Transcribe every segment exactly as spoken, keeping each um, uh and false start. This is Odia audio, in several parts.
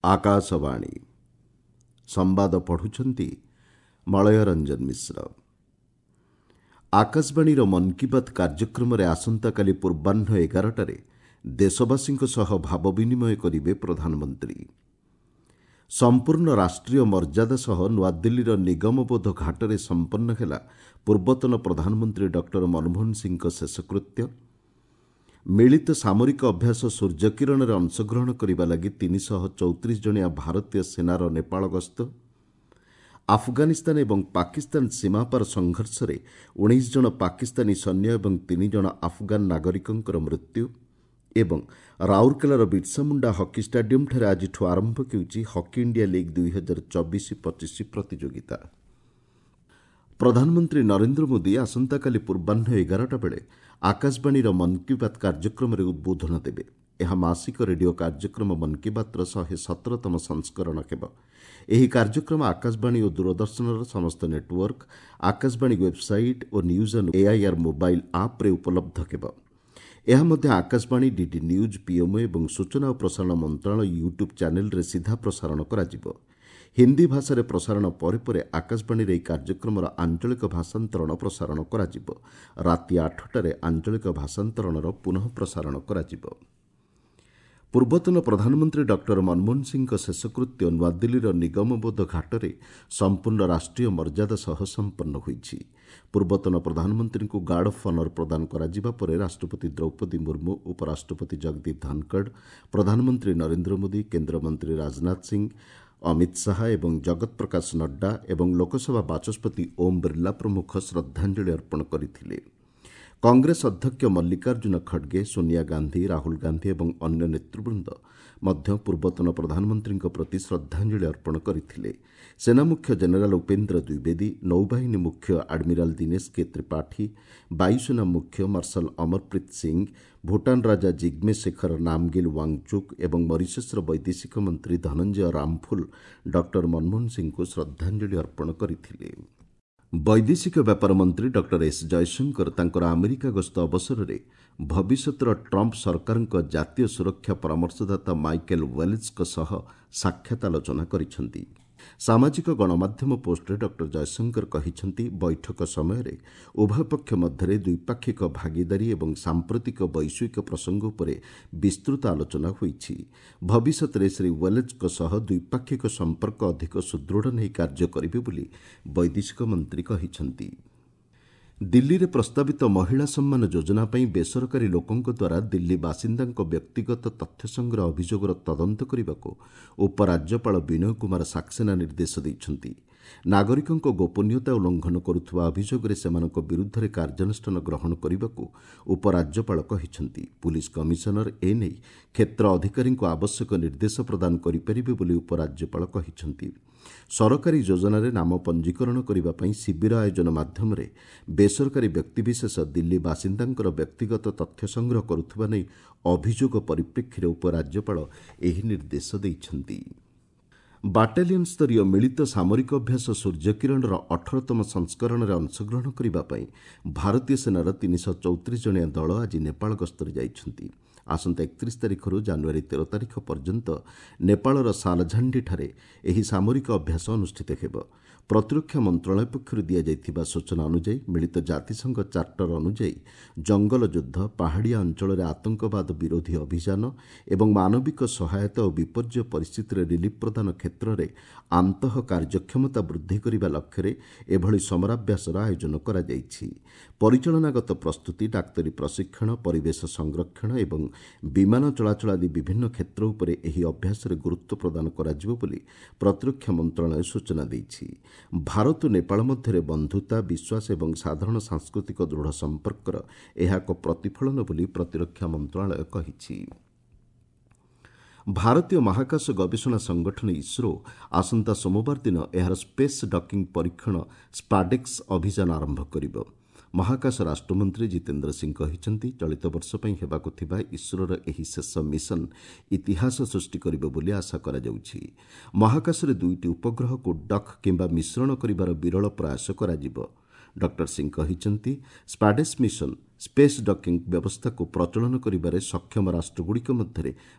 ଆକାଶବାଣୀ ସମ୍ବାଦ ପଢ଼ୁଛନ୍ତି ମଳୟ ରଞ୍ଜନ ମିଶ୍ର। ଆକାଶବାଣୀର ମନ୍ କି ବାତ୍ କାର୍ଯ୍ୟକ୍ରମରେ ଆସନ୍ତାକାଲି ପୂର୍ବାହ୍ନ ଏଗାରଟାରେ ଦେଶବାସୀଙ୍କ ସହ ଭାବ ବିନିମୟ କରିବେ ପ୍ରଧାନମନ୍ତ୍ରୀ। ସମ୍ପୂର୍ଣ୍ଣ ରାଷ୍ଟ୍ରୀୟ ମର୍ଯ୍ୟାଦା ସହ ନୂଆଦିଲ୍ଲୀର ନିଗମବୋଧ ଘାଟରେ ସମ୍ପନ୍ନ ହେଲା ପୂର୍ବତନ ପ୍ରଧାନମନ୍ତ୍ରୀ ଡକ୍ଟର ମନମୋହନ ସିଂହଙ୍କ ଶେଷକୃତ୍ୟ। ମିଳିତ ସାମରିକ ଅଭ୍ୟାସ ସୂର୍ଯ୍ୟକିରଣରେ ଅଂଶଗ୍ରହଣ କରିବା ଲାଗି ତିନିଶହ ଚଉତିରିଶ ଜଣିଆ ଭାରତୀୟ ସେନାର ନେପାଳ ଗସ୍ତ। ଆଫଗାନିସ୍ତାନ ଏବଂ ପାକିସ୍ତାନ ସୀମାପାର ସଂଘର୍ଷରେ ଉଣେଇଶ ଜଣ ପାକିସ୍ତାନୀ ସୈନ୍ୟ ଏବଂ ତିନି ଜଣ ଆଫଗାନ ନାଗରିକଙ୍କର ମୃତ୍ୟୁ। ଏବଂ ରାଉରକେଲାର ବିର୍ସାମୁଣ୍ଡା ହକି ଷ୍ଟାଡିୟମ୍ଠାରେ ଆଜିଠୁ ଆରମ୍ଭ ହେଉଛି ହକି ଇଣ୍ଡିଆ ଲିଗ୍ ଦୁଇହଜାର ଚବିଶ ପଚିଶ ପ୍ରତିଯୋଗିତା। ପ୍ରଧାନମନ୍ତ୍ରୀ ନରେନ୍ଦ୍ର ମୋଦି ଆସନ୍ତାକାଲି ପୂର୍ବାହ୍ନ ଏଗାରଟା ବେଳେ ଆକାଶବାଣୀର ମନ୍ କି ବାତ୍ କାର୍ଯ୍ୟକ୍ରମରେ ଉଦ୍ବୋଧନ ଦେବେ। ଏହା ମାସିକ ରେଡିଓ କାର୍ଯ୍ୟକ୍ରମ ମନ୍ କି ବାତ୍ର ଶହେ ସତରତମ ସଂସ୍କରଣ ହେବ। ଏହି କାର୍ଯ୍ୟକ୍ରମ ଆକାଶବାଣୀ ଓ ଦୂରଦର୍ଶନର ସମସ୍ତ network, Akashvani website O news on AIR mobile ଆପ୍ରେ ଉପଲବ୍ଧ ହେବ। ଏହା ମଧ୍ୟ ଆକାଶବାଣୀ, ଡିଡି ନ୍ୟୁଜ୍, ପିଏମ୍ଓ ଏବଂ ସୂଚନା ଓ ପ୍ରସାରଣ ମନ୍ତ୍ରଣାଳୟ ୟୁଟ୍ୟୁବ୍ ଚ୍ୟାନେଲ୍ରେ ସିଧା ପ୍ରସାରଣ କରାଯିବ। ହିନ୍ଦୀ ଭାଷାରେ ପ୍ରସାରଣ ପରେ ପରେ ଆକାଶବାଣୀରେ ଏହି କାର୍ଯ୍ୟକ୍ରମର ଆଞ୍ଚଳିକ ଭାଷାନ୍ତରଣ ପ୍ରସାରଣ କରାଯିବ। ରାତି ଆଠଟାରେ ଆଞ୍ଚଳିକ ଭାଷାନ୍ତରଣର ପୁନଃ ପ୍ରସାରଣ କରାଯିବ। ପୂର୍ବତନ ପ୍ରଧାନମନ୍ତ୍ରୀ ଡକ୍ଟର ମନମୋହନ ସିଂହଙ୍କ ଶେଷକୃତ୍ୟ ନୂଆଦିଲ୍ଲୀର ନିଗମବୋଧ ଘାଟରେ ସମ୍ପୂର୍ଣ୍ଣ ରାଷ୍ଟ୍ରୀୟ ମର୍ଯ୍ୟାଦା ସହ ସମ୍ପନ୍ନ ହୋଇଛି। ପୂର୍ବତନ ପ୍ରଧାନମନ୍ତ୍ରୀଙ୍କୁ ଗାର୍ଡ ଅଫ୍ ଅନର୍ ପ୍ରଦାନ କରାଯିବା ପରେ ରାଷ୍ଟ୍ରପତି ଦ୍ରୌପଦୀ ମୁର୍ମୁ, ଉପରାଷ୍ଟ୍ରପତି ଜଗଦୀପ ଧନଖଡ଼, ପ୍ରଧାନମନ୍ତ୍ରୀ ନରେନ୍ଦ୍ର ମୋଦି, କେନ୍ଦ୍ରମନ୍ତ୍ରୀ ରାଜନାଥ ସିଂହ, ଅମିତ ଶାହା ଏବଂ ଜଗତ ପ୍ରକାଶ ନଡ୍ଡା ଏବଂ ଲୋକସଭା ବାଚସ୍ପତି ଓମ୍ ବିର୍ଲା ପ୍ରମୁଖ ଶ୍ରଦ୍ଧାଞ୍ଜଳି ଅର୍ପଣ କରିଥିଲେ। କଂଗ୍ରେସ ଅଧ୍ୟକ୍ଷ ମଲ୍ଲିକାର୍ଜୁନ ଖଡ଼ଗେ, ସୋନିଆ ଗାନ୍ଧୀ, ରାହୁଲ ଗାନ୍ଧୀ ଏବଂ ଅନ୍ୟ ନେତୃବୃନ୍ଦ ମଧ୍ୟ ପୂର୍ବତନ ପ୍ରଧାନମନ୍ତ୍ରୀଙ୍କ ପ୍ରତି ଶ୍ରଦ୍ଧାଞ୍ଜଳି ଅର୍ପଣ କରିଥିଲେ। ସେନା ମୁଖ୍ୟ ଜେନେରାଲ ଉପେନ୍ଦ୍ର ଦ୍ୱିବେଦୀ, ନୌବାହିନୀ ମୁଖ୍ୟ ଆଡମିରାଲ ଦିନେଶ କେ ତ୍ରିପାଠୀ, ବାୟୁସେନା ମୁଖ୍ୟ ମାର୍ଶାଲ ଅମରପ୍ରୀତ ସିଂହ, ଭୁଟାନ ରାଜା ଜିଗ୍ମେ ଶେଖର ନାମଗିଲ୍ ୱାଙ୍ଗଚୁକ୍ ଏବଂ ମରିସସ୍ର ବୈଦେଶିକ ମନ୍ତ୍ରୀ ଧନଞ୍ଜୟ ରାମଫୁଲ ଡକ୍ଟର ମନମୋହନ ସିଂହଙ୍କୁ ଶ୍ରଦ୍ଧାଞ୍ଜଳି ଅର୍ପଣ କରିଥିଲେ। ବୈଦେଶିକ ବ୍ୟାପାର ମନ୍ତ୍ରୀ ଡକ୍ଟର ଏସ୍ ଜୟଶଙ୍କର ତାଙ୍କର ଆମେରିକା ଗସ୍ତ ଅବସରରେ ଭବିଷ୍ୟତର ଟ୍ରମ୍ପ ସରକାରଙ୍କ ଜାତୀୟ ସୁରକ୍ଷା ପରାମର୍ଶଦାତା ମାଇକେଲ୍ ୱାଲ୍ଟଜଙ୍କ ସହ ସାକ୍ଷାତ ଆଲୋଚନା କରିଛନ୍ତି। ସାମାଜିକ ଗଣମାଧ୍ୟମ ପୋଷ୍ଟରେ ଡକ୍ଟର ଜୟଶଙ୍କର କହିଛନ୍ତି, ବୈଠକ ସମୟରେ ଉଭୟ ପକ୍ଷ ମଧ୍ୟରେ ଦ୍ୱିପାକ୍ଷିକ ଭାଗିଦାରୀ ଏବଂ ସାମ୍ପ୍ରତିକ ବୈଶ୍ୱିକ ପ୍ରସଙ୍ଗ ଉପରେ ବିସ୍ତୃତ ଆଲୋଚନା ହୋଇଛି। ଭବିଷ୍ୟତରେ ଶ୍ରୀ ୱାଲ୍ଟଜଙ୍କ ସହ ଦ୍ୱିପାକ୍ଷିକ ସମ୍ପର୍କ ଅଧିକ ସୁଦୃଢ଼ ନେଇ କାର୍ଯ୍ୟ କରିବେ ବୋଲି ବୈଦେଶିକ ମନ୍ତ୍ରୀ କହିଛନ୍ତି। ଦିଲ୍ଲୀରେ ପ୍ରସ୍ତାବିତ ମହିଳା ସମ୍ମାନ ଯୋଜନା ପାଇଁ ବେସରକାରୀ ଲୋକଙ୍କ ଦ୍ୱାରା ଦିଲ୍ଲୀ ବାସିନ୍ଦାଙ୍କ ବ୍ୟକ୍ତିଗତ ତଥ୍ୟ ସଂଗ୍ରହ ଅଭିଯୋଗର ତଦନ୍ତ କରିବାକୁ ଉପରାଜ୍ୟପାଳ ବିନୟ କୁମାର ସାକ୍ସେନା ନିର୍ଦ୍ଦେଶ ଦେଇଛନ୍ତି। ନାଗରିକଙ୍କ ଗୋପନୀୟତା ଉଲ୍ଲଂଘନ କରୁଥିବା ଅଭିଯୋଗରେ ସେମାନଙ୍କ ବିରୁଦ୍ଧରେ କାର୍ଯ୍ୟାନୁଷ୍ଠାନ ଗ୍ରହଣ କରିବାକୁ ଉପରାଜ୍ୟପାଳ କହିଛନ୍ତି। ପୁଲିସ୍ କମିଶନର ଏନେଇ କ୍ଷେତ୍ର ଅଧିକାରୀଙ୍କୁ ଆବଶ୍ୟକ ନିର୍ଦ୍ଦେଶ ପ୍ରଦାନ କରିପାରିବେ ବୋଲି ଉପରାଜ୍ୟପାଳ କହିଛନ୍ତି। ସରକାରୀ ଯୋଜନାରେ ନାମ ପଞ୍ଜୀକରଣ କରିବା ପାଇଁ ଶିବିର ଆୟୋଜନ ମାଧ୍ୟମରେ ବେସରକାରୀ ବ୍ୟକ୍ତିବିଶେଷ ଦିଲ୍ଲୀ ବାସିନ୍ଦାଙ୍କର ବ୍ୟକ୍ତିଗତ ତଥ୍ୟ ସଂଗ୍ରହ କରୁଥିବା ନେଇ ଅଭିଯୋଗ ପରିପ୍ରେକ୍ଷୀରେ ଉପରାଜ୍ୟପାଳ ଏହି ନିର୍ଦ୍ଦେଶ ଦେଇଛନ୍ତି। ବାଟାଲିୟନ୍ ସ୍ତରୀୟ ମିଳିତ ସାମରିକ ଅଭ୍ୟାସ ସୂର୍ଯ୍ୟକିରଣର ଅଠରତମ ସଂସ୍କରଣରେ ଅଂଶଗ୍ରହଣ କରିବା ପାଇଁ ଭାରତୀୟ ସେନାର ତିନିଶହ ଚଉତିରିଶ ଜଣିଆ ଦଳ ଆଜି ନେପାଳ ଗସ୍ତରେ ଯାଇଛନ୍ତି। ଆସନ୍ତା ଏକତିରିଶ ତାରିଖରୁ ଜାନୁଆରୀ ତେର ତାରିଖ ପର୍ଯ୍ୟନ୍ତ ନେପାଳର ସାଲଝାଣ୍ଡିଠାରେ ଏହି ସାମରିକ ଅଭ୍ୟାସ ଅନୁଷ୍ଠିତ ହେବ। ପ୍ରତିରକ୍ଷା ମନ୍ତ୍ରଣାଳୟ ପକ୍ଷରୁ ଦିଆଯାଇଥିବା ସୂଚନା ଅନୁଯାୟୀ ମିଳିତ ଜାତିସଂଘ ଚାର୍ଟର ଅନୁଯାୟୀ ଜଙ୍ଗଲ ଯୁଦ୍ଧ, ପାହାଡ଼ିଆ ଅଞ୍ଚଳରେ ଆତଙ୍କବାଦ ବିରୋଧୀ ଅଭିଯାନ ଏବଂ ମାନବିକ ସହାୟତା ଓ ବିପର୍ଯ୍ୟୟ ପରିସ୍ଥିତିରେ ରିଲିଫ୍ ପ୍ରଦାନ କ୍ଷେତ୍ରରେ ଆନ୍ତଃ କାର୍ଯ୍ୟକ୍ଷମତା ବୃଦ୍ଧି କରିବା ଲକ୍ଷ୍ୟରେ ଏଭଳି ସମରାଭ୍ୟାସର ଆୟୋଜନ କରାଯାଇଛି। ପରିଚାଳନାଗତ ପ୍ରସ୍ତୁତି, ଡାକ୍ତରୀ ପ୍ରଶିକ୍ଷଣ, ପରିବେଶ ସଂରକ୍ଷଣ ଏବଂ ବିମାନ ଚଳାଚଳ ଆଦି ବିଭିନ୍ନ କ୍ଷେତ୍ର ଉପରେ ଏହି ଅଭ୍ୟାସରେ ଗୁରୁତ୍ୱ ପ୍ରଦାନ କରାଯିବ ବୋଲି ପ୍ରତିରକ୍ଷା ମନ୍ତ୍ରଣାଳୟ ସୂଚନା ଦେଇଛି। ଭାରତ ଓ ନେପାଳ ମଧ୍ୟରେ ବନ୍ଧୁତା, ବିଶ୍ୱାସ ଏବଂ ସାଧାରଣ ସାଂସ୍କୃତିକ ଦୃଢ଼ ସମ୍ପର୍କର ଏହା ଏକ ପ୍ରତିଫଳନ ବୋଲି ପ୍ରତିରକ୍ଷା ମନ୍ତ୍ରଣାଳୟ କହିଛି। ଭାରତୀୟ ମହାକାଶ ଗବେଷଣା ସଂଗଠନ ଇସ୍ରୋ ଆସନ୍ତା ସୋମବାର ଦିନ ଏହାର ସ୍ପେସ୍ ଡକିଂ ପରୀକ୍ଷଣ ସ୍ପାଡେକ୍ସ ଅଭିଯାନ ଆରମ୍ଭ କରିବ। ମହାକାଶ ରାଷ୍ଟ୍ରମନ୍ତ୍ରୀ ଜିତେନ୍ଦ୍ର ସିଂ କହିଛନ୍ତି, ଚଳିତ ବର୍ଷ ପାଇଁ ହେବାକୁ ଥିବା ଇସ୍ରୋର ଏହି ଶେଷ ମିଶନ ଇତିହାସ ସୃଷ୍ଟି କରିବ ବୋଲି ଆଶା କରାଯାଉଛି। ମହାକାଶରେ ଦୁଇଟି ଉପଗ୍ରହକୁ ଡକ୍ କିମ୍ବା ମିଶ୍ରଣ କରିବାର ବିରଳ ପ୍ରୟାସ କରାଯିବ। ଡକ୍ଟର ସିଂ କହିଛନ୍ତି, ସ୍ପାଡେକ୍ସ ମିଶନ ସ୍ପେସ୍ ଡକିଂ ବ୍ୟବସ୍ଥାକୁ ପ୍ରଚଳନ କରିବାରେ ସକ୍ଷମ ରାଷ୍ଟ୍ରଗୁଡ଼ିକ ମଧ୍ୟରେ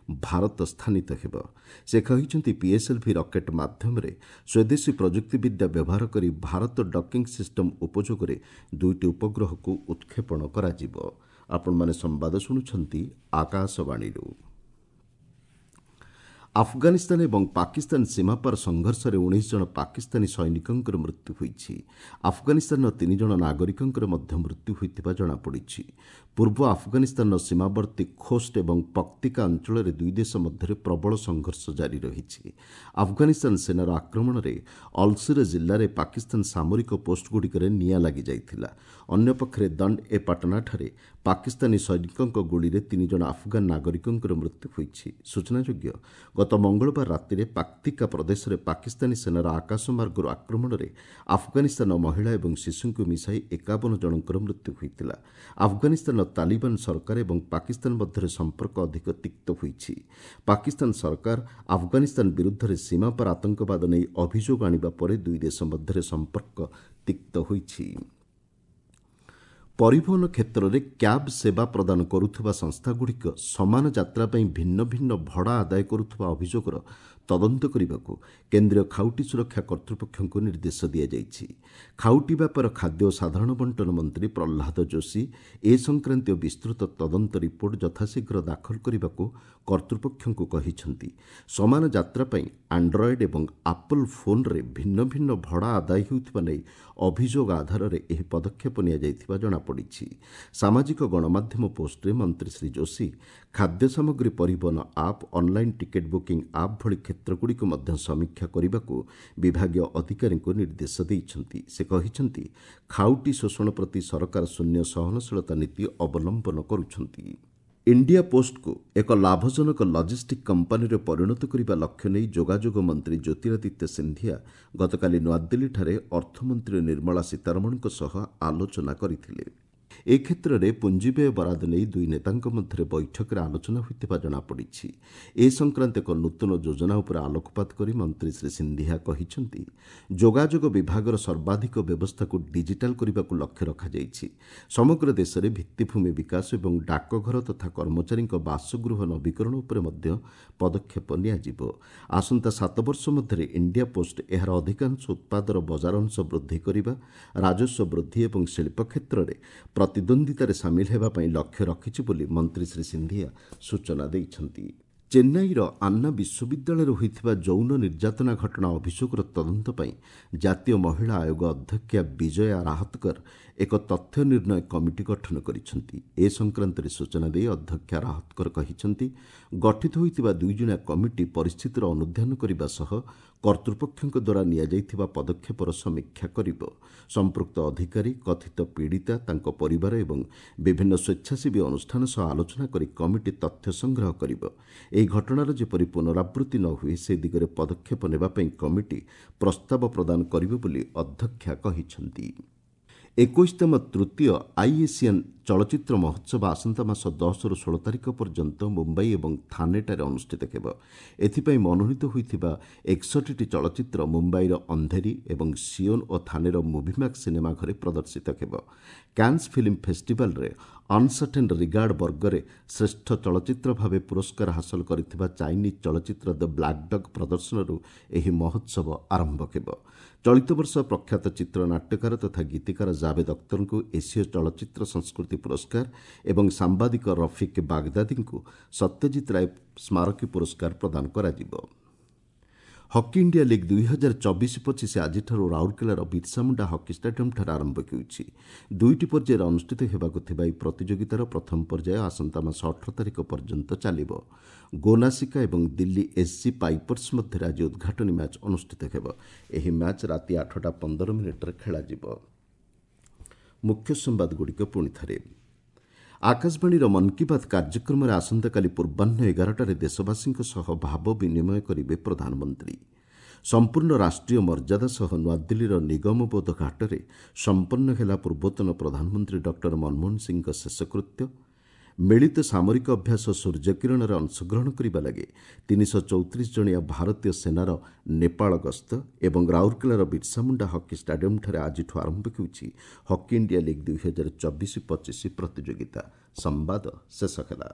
ଭାରତ ସ୍ଥାନିତ ହେବ। ସେ କହିଛନ୍ତି, ପିଏସ୍ଏଲ୍ଭି ରକେଟ୍ ମାଧ୍ୟମରେ ସ୍ୱଦେଶୀ ପ୍ରଯୁକ୍ତିବିଦ୍ୟା ବ୍ୟବହାର କରି ଭାରତ ଡକିଂ ସିଷ୍ଟମ ଉପଯୋଗରେ ଦୁଇଟି ଉପଗ୍ରହକୁ ଉତ୍କ୍ଷେପଣ କରାଯିବ। ଆପଣମାନେ ସମ୍ବାଦ ଶୁଣୁଛନ୍ତି ଆକାଶବାଣୀରୁ। ଆଫଗାନିସ୍ତାନ ଏବଂ ପାକିସ୍ତାନ ସୀମାପାର ସଂଘର୍ଷରେ ଉଣେଇଶ ଜଣ ପାକିସ୍ତାନୀ ସୈନିକଙ୍କର ମୃତ୍ୟୁ ହୋଇଛି। ଆଫଗାନିସ୍ତାନର ତିନି ଜଣ ନାଗରିକଙ୍କର ମଧ୍ୟ ମୃତ୍ୟୁ ହୋଇଥିବା ଜଣାପଡ଼ିଛି। ପୂର୍ବ ଆଫଗାନିସ୍ତାନର ସୀମାବର୍ତ୍ତୀ ଖୋଷ୍ଟ ଏବଂ ପକ୍ତିକା ଅଞ୍ଚଳରେ ଦୁଇ ଦେଶ ମଧ୍ୟରେ ପ୍ରବଳ ସଂଘର୍ଷ ଜାରି ରହିଛି। ଆଫଗାନିସ୍ତାନ ସେନାର ଆକ୍ରମଣରେ ଅଲସିର ଜିଲ୍ଲାରେ ପାକିସ୍ତାନ ସାମରିକ ପୋଷ୍ଟଗୁଡ଼ିକରେ ନିଆଁ ଲାଗିଯାଇଥିଲା। ଅନ୍ୟପକ୍ଷରେ ଦଣ୍ଡ ଏ ପାଟନାଠାରେ ପାକିସ୍ତାନୀ ସୈନିକଙ୍କ ଗୁଳିରେ ତିନି ଜଣ ଆଫଗାନ ନାଗରିକଙ୍କର ମୃତ୍ୟୁ ହୋଇଛି। ସୂଚନାଯୋଗ୍ୟ, ଗତ ମଙ୍ଗଳବାର ରାତିରେ ପାକ୍ତିକା ପ୍ରଦେଶରେ ପାକିସ୍ତାନୀ ସେନାର ଆକାଶମାର୍ଗରୁ ଆକ୍ରମଣରେ ଆଫଗାନିସ୍ତାନର ମହିଳା ଏବଂ ଶିଶୁଙ୍କୁ ମିଶାଇ ଏକାବନ ଜଣଙ୍କର ମୃତ୍ୟୁ ହୋଇଥିଲା। ଆଫଗାନିସ୍ତାନର ତାଲିବାନ ସରକାର ଏବଂ ପାକିସ୍ତାନ ମଧ୍ୟରେ ସମ୍ପର୍କ ଅଧିକ ତିକ୍ତ ହୋଇଛି। ପାକିସ୍ତାନ ସରକାର ଆଫଗାନିସ୍ତାନ ବିରୁଦ୍ଧରେ ସୀମାପାର ଆତଙ୍କବାଦ ନେଇ ଅଭିଯୋଗ ଆଣିବା ପରେ ଦୁଇ ଦେଶ ମଧ୍ୟରେ ସମ୍ପର୍କ ତିକ୍ତ ହୋଇଛି। ପରିବହନ କ୍ଷେତ୍ରରେ କ୍ୟାବ୍ ସେବା ପ୍ରଦାନ କରୁଥିବା ସଂସ୍ଥାଗୁଡ଼ିକ ସମାନ ଯାତ୍ରା ପାଇଁ ଭିନ୍ନ ଭିନ୍ନ ଭଡ଼ା ଆଦାୟ କରୁଥିବା ଅଭିଯୋଗର ତଦନ୍ତ କରିବାକୁ କେନ୍ଦ୍ରୀୟ ଖାଉଟି ସୁରକ୍ଷା କର୍ତ୍ତୃପକ୍ଷଙ୍କୁ ନିର୍ଦ୍ଦେଶ ଦିଆଯାଇଛି। ଖାଉଟି ବ୍ୟାପାର, ଖାଦ୍ୟ ଓ ସାଧାରଣ ବଣ୍ଟନ ମନ୍ତ୍ରୀ ପ୍ରହ୍ଲାଦ ଯୋଶୀ ଏ ସଂକ୍ରାନ୍ତୀୟ ବିସ୍ତୃତ ତଦନ୍ତ ରିପୋର୍ଟ ଯଥାଶୀଘ୍ର ଦାଖଲ କରିବାକୁ କର୍ତ୍ତୃପକ୍ଷଙ୍କୁ କହିଛନ୍ତି। ସମାନ ଯାତ୍ରା ପାଇଁ ଆଣ୍ଡ୍ରଏଡ୍ ଏବଂ ଆପଲ୍ ଫୋନ୍ରେ ଭିନ୍ନ ଭିନ୍ନ ଭଡ଼ା ଆଦାୟ ହେଉଥିବା ନେଇ ଅଭିଯୋଗ ଆଧାରରେ ଏହି ପଦକ୍ଷେପ ନିଆଯାଇଥିବା ଜଣାପଡ଼ିଛି। ସାମାଜିକ ଗଣମାଧ୍ୟମ ପୋଷ୍ଟରେ ମନ୍ତ୍ରୀ ଶ୍ରୀ ଯୋଶୀ ଖାଦ୍ୟ ସାମଗ୍ରୀ ପରିବହନ app, online ticket booking app ଭଳି କ୍ଷେତ୍ରଗୁଡ଼ିକୁ ମଧ୍ୟ ସମୀକ୍ଷା କରିବାକୁ ବିଭାଗୀୟ ଅଧିକାରୀଙ୍କୁ ନିର୍ଦ୍ଦେଶ ଦେଇଛନ୍ତି। ସେ କହିଛନ୍ତି, ଖାଉଟି ଶୋଷଣ ପ୍ରତି ସରକାର ଶୂନ୍ୟ ସହନଶୀଳତା ନୀତି ଅବଲମ୍ବନ କରୁଛନ୍ତି। ଇଣ୍ଡିଆ ପୋଷ୍ଟକୁ ଏକ ଲାଭଜନକ ଲଜିଷ୍ଟିକ୍ କମ୍ପାନୀରେ ପରିଣତ କରିବା ଲକ୍ଷ୍ୟ ନେଇ ଯୋଗାଯୋଗ ମନ୍ତ୍ରୀ ଜ୍ୟୋତିରାଦିତ୍ୟ ସିନ୍ଧିଆ ଗତକାଲି ନୂଆଦିଲ୍ଲୀଠାରେ ଅର୍ଥମନ୍ତ୍ରୀ ନିର୍ମଳା ସୀତାରମଣଙ୍କ ସହ ଆଲୋଚନା କରିଥିଲେ। ଏ କ୍ଷେତ୍ରରେ ପୁଞ୍ଜିବ୍ୟୟ ବରାଦ ନେଇ ଦୁଇ ନେତାଙ୍କ ମଧ୍ୟରେ ବୈଠକରେ ଆଲୋଚନା ହୋଇଥିବା ଜଣାପଡ଼ିଛି। ଏ ସଂକ୍ରାନ୍ତ ଏକ ନୂତନ ଯୋଜନା ଉପରେ ଆଲୋକପାତ କରି ମନ୍ତ୍ରୀ ଶ୍ରୀ ସିନ୍ଧିଆ କହିଛନ୍ତି, ଯୋଗାଯୋଗ ବିଭାଗର ସର୍ବାଧିକ ବ୍ୟବସ୍ଥାକୁ ଡିଜିଟାଲ କରିବାକୁ ଲକ୍ଷ୍ୟ ରଖାଯାଇଛି। ସମଗ୍ର ଦେଶରେ ଭିତ୍ତିଭୂମି ବିକାଶ ଏବଂ ଡାକଘର ତଥା କର୍ମଚାରୀଙ୍କ ବାସଗୃହ ନବୀକରଣ ଉପରେ ମଧ୍ୟ ପଦକ୍ଷେପ ନିଆଯିବ। ଆସନ୍ତା ସାତ ବର୍ଷ ମଧ୍ୟରେ ଇଣ୍ଡିଆ ପୋଷ୍ଟ ଏହାର ଅଧିକାଂଶ ଉତ୍ପାଦର ବଜାର ଅଂଶ ବୃଦ୍ଧି କରିବା, ରାଜସ୍ୱ ବୃଦ୍ଧି ଏବଂ ଶିଳ୍ପ କ୍ଷେତ୍ରରେ ପ୍ରତିଦ୍ୱନ୍ଦ୍ୱିତାରେ ସାମିଲ ହେବା ପାଇଁ ଲକ୍ଷ୍ୟ ରଖିଛି ବୋଲି ମନ୍ତ୍ରୀ ଶ୍ରୀ ସିନ୍ଧିଆ ସୂଚନା ଦେଇଛନ୍ତି। ଚେନ୍ନାଇର ଆନ୍ନା ବିଶ୍ୱବିଦ୍ୟାଳୟରେ ହୋଇଥିବା ଯୌନ ନିର୍ଯାତନା ଘଟଣା ଅଭିଯୋଗର ତଦନ୍ତ ପାଇଁ ଜାତୀୟ ମହିଳା ଆୟୋଗ ଅଧ୍ୟକ୍ଷା ବିଜୟା ରାହତକର ଏକ ତଥ୍ୟ ନିର୍ଣ୍ଣୟ କମିଟି ଗଠନ କରିଛନ୍ତି। ଏ ସଂକ୍ରାନ୍ତରେ ସୂଚନା ଦେଇ ଅଧ୍ୟକ୍ଷା ରାହତକର କହିଛନ୍ତି, ଗଠିତ ହୋଇଥିବା ଦୁଇଜଣିଆ କମିଟି ପରିସ୍ଥିତିର ଅନୁଧ୍ୟାନ କରିବା ସହ କର୍ତ୍ତୃପକ୍ଷଙ୍କ ଦ୍ୱାରା ନିଆଯାଇଥିବା ପଦକ୍ଷେପର ସମୀକ୍ଷା କରିବ। ସମ୍ପୃକ୍ତ ଅଧିକାରୀ, କଥିତ ପୀଡ଼ିତା, ତାଙ୍କ ପରିବାର ଏବଂ ବିଭିନ୍ନ ସ୍ୱେଚ୍ଛାସେବୀ ଅନୁଷ୍ଠାନ ସହ ଆଲୋଚନା କରି କମିଟି ତଥ୍ୟ ସଂଗ୍ରହ କରିବ। ଏହି ଘଟଣାର ଯେପରି ପୁନରାବୃତ୍ତି ନ ହୁଏ ସେ ଦିଗରେ ପଦକ୍ଷେପ ନେବା ପାଇଁ କମିଟି ପ୍ରସ୍ତାବ ପ୍ରଦାନ କରିବ ବୋଲି ଅଧ୍ୟକ୍ଷା କହିଛନ୍ତି। ଏକୋଇଶତମ ତୃତୀୟ ଆଇଏସିଆନ୍ ଚଳଚ୍ଚିତ୍ର ମହୋତ୍ସବ ଆସନ୍ତା ମାସ ଦଶରୁ ଷୋହଳ ତାରିଖ ପର୍ଯ୍ୟନ୍ତ ମୁମ୍ବାଇ ଏବଂ ଥାନେଠାରେ ଅନୁଷ୍ଠିତ ହେବ। ଏଥିପାଇଁ ମନୋନୀତ ହୋଇଥିବା ଏକଷଠିଟି ଚଳଚ୍ଚିତ୍ର ମୁମ୍ବାଇର ଅନ୍ଧେରୀ ଏବଂ ସିଓନ୍ ଓ ଥାନେର ମୁଭିମ୍ୟାକ୍ସ ସିନେମା ଘରେ ପ୍ରଦର୍ଶିତ ହେବ। କ୍ୟାନ୍ସ ଫିଲ୍ମ ଫେଷ୍ଟିଭାଲରେ ଅନସର୍ଟେନ୍ ରିଗାର୍ଡ ବର୍ଗରେ ଶ୍ରେଷ୍ଠ ଚଳଚ୍ଚିତ୍ର ଭାବେ ପୁରସ୍କାର ହାସଲ କରିଥିବା ଚାଇନିଜ୍ ଚଳଚ୍ଚିତ୍ର ଦ ବ୍ଲାକ୍ ଡଗ୍ ପ୍ରଦର୍ଶନରୁ ଏହି ମହୋତ୍ସବ ଆରମ୍ଭ ହେବ। ଚଳିତ ବର୍ଷ ପ୍ରଖ୍ୟାତ ଚିତ୍ରନାଟ୍ୟକାର ତଥା ଗୀତିକାର ଜାଭେଦ ଅଖତରଙ୍କୁ ଏସୀୟ ଚଳଚ୍ଚିତ୍ର ସଂସ୍କୃତି ପୁରସ୍କାର ଏବଂ ସାମ୍ବାଦିକ ରଫିକ୍ ବାଗଦାଦୀଙ୍କୁ ସତ୍ୟଜିତ ରାୟ ସ୍ମାରକୀ ପୁରସ୍କାର ପ୍ରଦାନ କରାଯିବ। ହକି ଇଣ୍ଡିଆ ଲିଗ୍ ଦୁଇ ହଜାର ଚବିଶ ପଚିଶ ଆଜିଠାରୁ ରାଉରକେଲାର ବିର୍ସାମୁଣ୍ଡା ହକି ଷ୍ଟାଡିୟମ୍ଠାରେ ଆରମ୍ଭ ହେଉଛି। ଦୁଇଟି ପର୍ଯ୍ୟାୟରେ ଅନୁଷ୍ଠିତ ହେବାକୁ ଥିବା ଏହି ପ୍ରତିଯୋଗିତାର ପ୍ରଥମ ପର୍ଯ୍ୟାୟ ଆସନ୍ତା ମାସ ଅଠର ତାରିଖ ପର୍ଯ୍ୟନ୍ତ ଚାଲିବ। ଗୋନାସିକା ଏବଂ ଦିଲ୍ଲୀ ଏସ୍ସି ପାଇପର୍ସ ମଧ୍ୟରେ ଆଜି ଉଦ୍ଘାଟନୀ ମ୍ୟାଚ୍ ଅନୁଷ୍ଠିତ ହେବ। ଏହି ମ୍ୟାଚ୍ ରାତି ଆଠଟା ପନ୍ଦର ମିନିଟ୍ରେ ଖେଳାଯିବ। ମୁଖ୍ୟ ସମ୍ବାଦଗୁଡ଼ିକ ପୁଣି ଥରେ। ଆକାଶବାଣୀର ମନ୍ କି ବାତ୍ କାର୍ଯ୍ୟକ୍ରମରେ ଆସନ୍ତାକାଲି ପୂର୍ବାହ୍ନ ଏଗାରଟାରେ ଦେଶବାସୀଙ୍କ ସହ ଭାବ ବିନିମୟ କରିବେ ପ୍ରଧାନମନ୍ତ୍ରୀ। ସମ୍ପୂର୍ଣ୍ଣ ରାଷ୍ଟ୍ରୀୟ ମର୍ଯ୍ୟାଦା ସହ ନୂଆଦିଲ୍ଲୀର ନିଗମବୋଧ ଘାଟରେ ସମ୍ପନ୍ନ ହେଲା ପୂର୍ବତନ ପ୍ରଧାନମନ୍ତ୍ରୀ ଡକ୍ଟର ମନମୋହନ ସିଂହଙ୍କ ଶେଷକୃତ୍ୟ। ମିଳିତ ସାମରିକ ଅଭ୍ୟାସ ସୂର୍ଯ୍ୟକିରଣରେ ଅଂଶଗ୍ରହଣ କରିବା ଲାଗି ତିନିଶହ ଚଉତିରିଶ ଜଣିଆ ଭାରତୀୟ ସେନାର ନେପାଳ ଗସ୍ତ ଏବଂ ରାଉରକେଲାର ବିର୍ସାମୁଣ୍ଡା ହକି ଷ୍ଟାଡିୟମ୍ଠାରେ ଆଜିଠୁ ଆରମ୍ଭ ହେଉଛି ହକି ଇଣ୍ଡିଆ ଲିଗ୍ ଦୁଇହଜାର ଚବିଶ ପଚିଶ ପ୍ରତିଯୋଗିତା। ସମ୍ବାଦ ଶେଷ ହେଲା।